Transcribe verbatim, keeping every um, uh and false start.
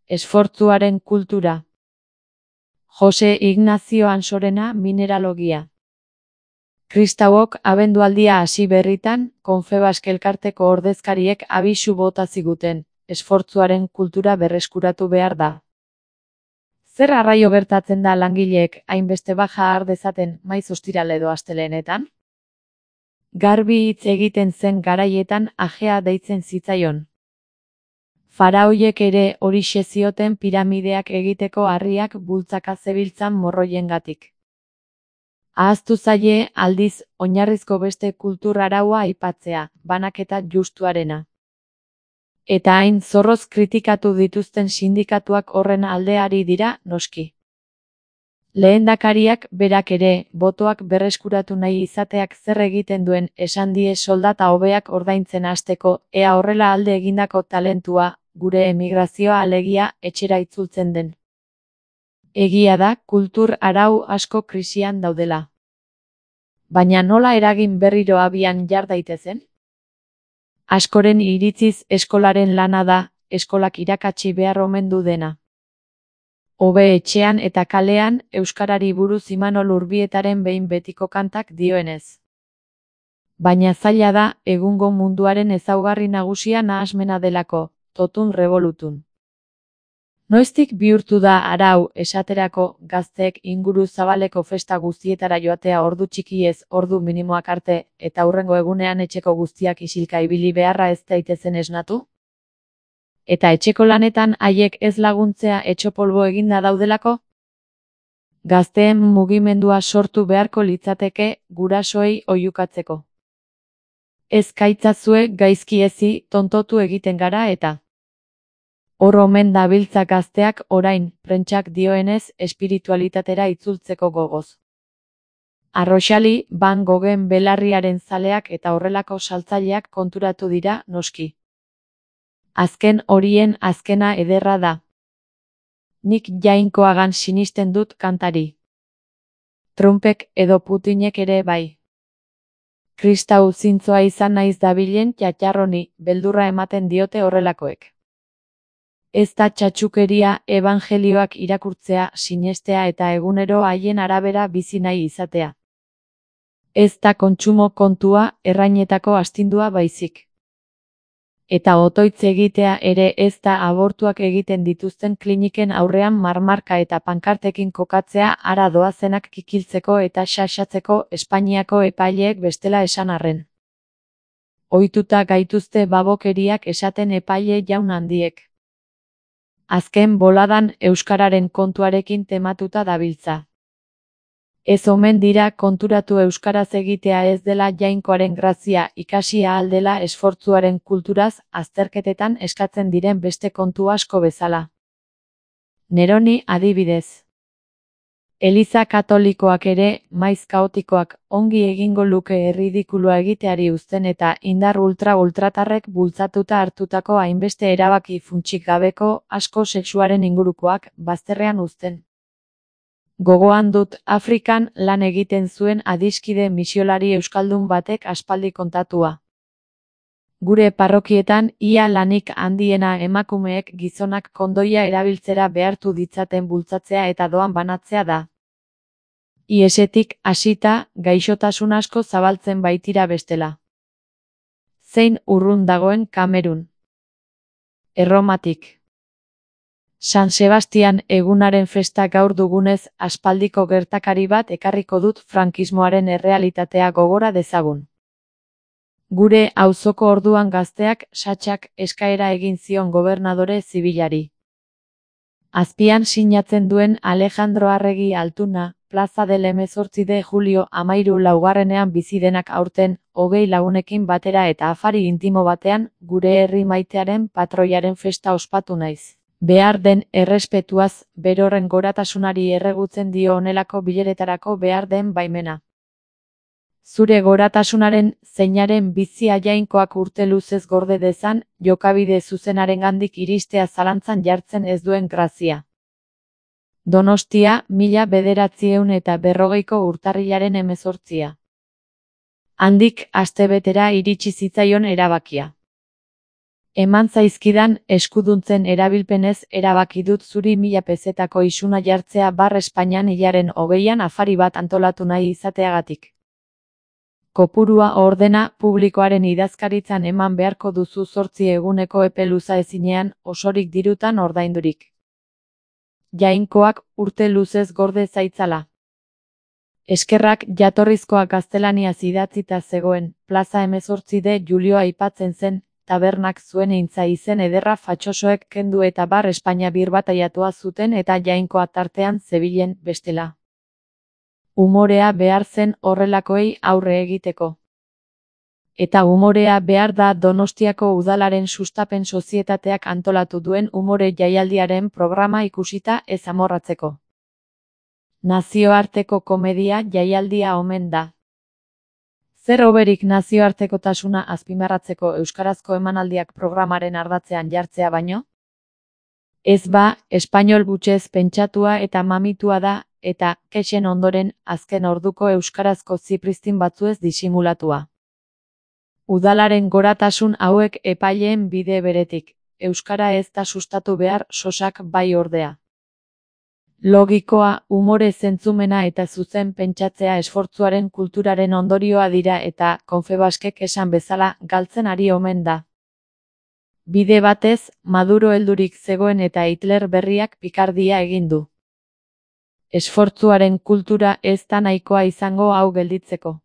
Esfortzuaren kultura. Jose Ignazio Ansorena Mineralogia. Kristauok abendualdia hasi berritan, Confebask elkarteko ordezkariek abisu bota ziguten, esfortzuaren kultura berreskuratu behar da. Zer arraio gertatzen da langileek hainbeste baja har dezaten maiz ostiral edo astelehenetan? Garbi hitz egiten zen garaietan ajea deitzen zitzaion. Faraoiek ere horixe zioten piramideak egiteko harriak bultzaka zebiltzan morroiengatik. Ahaztu zaie, aldiz, oinarrizko beste kultur araua aipatzea, banaketa justuarena. Eta hain zorroz kritikatu dituzten sindikatuak horren aldeari dira, noski. Lehendakariak berak ere, botoak berreskuratu nahi izateak zer egiten duen esan die soldata hobeak ordaintzen hasteko, ea horrela alde egindako talentua, gure emigrazioa alegia, etxera itzultzen den. Egia da, kultur arau asko krisian daudela. Baina nola eragin berriro abian jar daitezen? Askoren iritziz eskolaren lana da, eskolak irakatsi behar omen du dena. Hobe etxean eta kalean, euskarari buruz Imanol Urbietaren behin betiko kantak dioenez. Baina zaila da, egungo munduaren ezaugarri nagusia nahasmena delako, totun revolutun. Noiztik bihurtu da arau, esaterako, gazteek inguru zabaleko festa guztietara joatea ordu txikiez, ordu minimoak arte, eta hurrengo egunean etxeko guztiak isilka ibili beharra ez daitezen esnatu? Eta etxeko lanetan haiek ez laguntzea etxopolbo eginda daudelako? Gazteen mugimendua sortu beharko litzateke, gurasoei oihukatzeko. Ez kaitzazue gaizki ezi, tontotu egiten gara eta. Hor omen dabiltza gazteak orain, prentsak dioenez, espiritualitatera itzultzeko gogoz. Arroxali, Van Goghen belarriaren zaleak eta horrelako saltzaileak konturatu dira, noski. Azken horien azkena ederra da. Nik Jainkoagan sinisten dut kantari. Trumpek edo Putinek ere bai. Kristau zintzoa izan naiz dabilen txatxarroni, beldurra ematen diote horrelakoek. Ez da txatxukeria ebangelioak irakurtzea, sinestea eta egunero haien arabera bizi nahi izatea. Ez da kontsumo kontua, errainetako astindua baizik. Eta otoitz egitea ere ez da abortuak egiten dituzten kliniken aurrean marmarka eta pankartekin kokatzea hara doazenak kikiltzeko eta xaxatzeko Espainiako epaileek bestela esan arren. Ohituta gaituzte babokeriak esaten epaile jaun handiek. Azken boladan euskararen kontuarekin tematuta dabiltza. Ez omen dira konturatu euskaraz egitea ez dela Jainkoaren grazia, ikasi ahal dela esfortzuaren kulturaz, azterketetan eskatzen diren beste kontu asko bezala. Neroni adibidez. Eliza katolikoak ere, maiz kaotikoak, ongi egingo luke erridikulua egiteari uzten eta indar ultra-ultratarrek bultzatuta hartutako hainbeste erabaki funtsik gabeko, asko sexuaren ingurukoak, bazterrean uzten. Gogoan dut Afrikan lan egiten zuen adiskide misiolari euskaldun batek aspaldi kontatua. Gure parrokietan ia lanik handiena emakumeek gizonak kondoia erabiltzera behartu ditzaten bultzatzea eta doan banatzea da. Iesetik hasita, gaixotasun asko zabaltzen baitira bestela. Zein urrun dagoen Kamerun. Erromatik. San Sebastian egunaren festa gaur dugunez, aspaldiko gertakari bat ekarriko dut frankismoaren errealitatea gogora dezagun. Gure auzoko orduan gazteak satxak eskaera egin zion gobernadore zibilari. Azpian sinatzen duen Alejandro Arregi Altuna, Plaza del hemezortzi de Julio amairu laugarrenean bizidenak aurten, hogei lagunekin batera eta afari intimo batean, gure herri maitearen patroiaren festa ospatu naiz. Behar den errespetuaz, berorren goratasunari erregutzen dio honelako bileretarako behar den baimena. Zure goratasunaren, zeinaren bizia Jainkoak urte luzez gorde dezan, jokabide zuzenarengandik iristea zalantzan jartzen ez duen grazia. Donostia, mila bederatziehun eta berrogeiko urtarrilaren hemezortzia. Handik astebetera iritsi zitzaion erabakia. Eman zaizkidan eskuduntzen erabilpenez erabaki dut zuri mila pezetako isuna jartzea bar Espainian hilaren hogeian afari bat antolatu nahi izateagatik. Kopurua ordena publikoaren idazkaritzan eman beharko duzu zortzi eguneko epe luza ezinean osorik dirutan ordaindurik. Jainkoak urte luzez gorde zaitzala. Eskerrak jatorrizkoa gaztelaniaz idatzita zegoen, plaza hemezortzi de Julio aipatzen zen, tabernak zuen eintza izen ederra fatxosoek kendu eta bar Espainia birbataiatua zuten eta jainkoa tartean zebilen bestela. Umorea behar zen horrelakoei aurre egiteko. Eta umorea behar da Donostiako udalaren sustapen sozietateak antolatu duen umore jaialdiaren programa ikusita ez amorratzeko. Nazioarteko komedia jaialdia omen da. Zer hoberik nazioartekotasuna azpimarratzeko euskarazko emanaldiak programaren ardatzean jartzea baino? Ez ba, espainol gutxez pentsatua eta mamitua da, eta, kexen ondoren, azken orduko euskarazko zipristin batzuez disimulatua. Udalaren goratasun hauek epaileen bide beretik, euskara ez da sustatu behar sosak bai ordea. Logikoa, umore zentzumena eta zuzen pentsatzea esfortzuaren kulturaren ondorioa dira eta, Konfebaskek esan bezala, galtzen ari omen da. Bide batez, Maduro heldurik zegoen eta Hitler berriak pikardia egin du. Esfortzuaren kultura ez da nahikoa izango hau gelditzeko.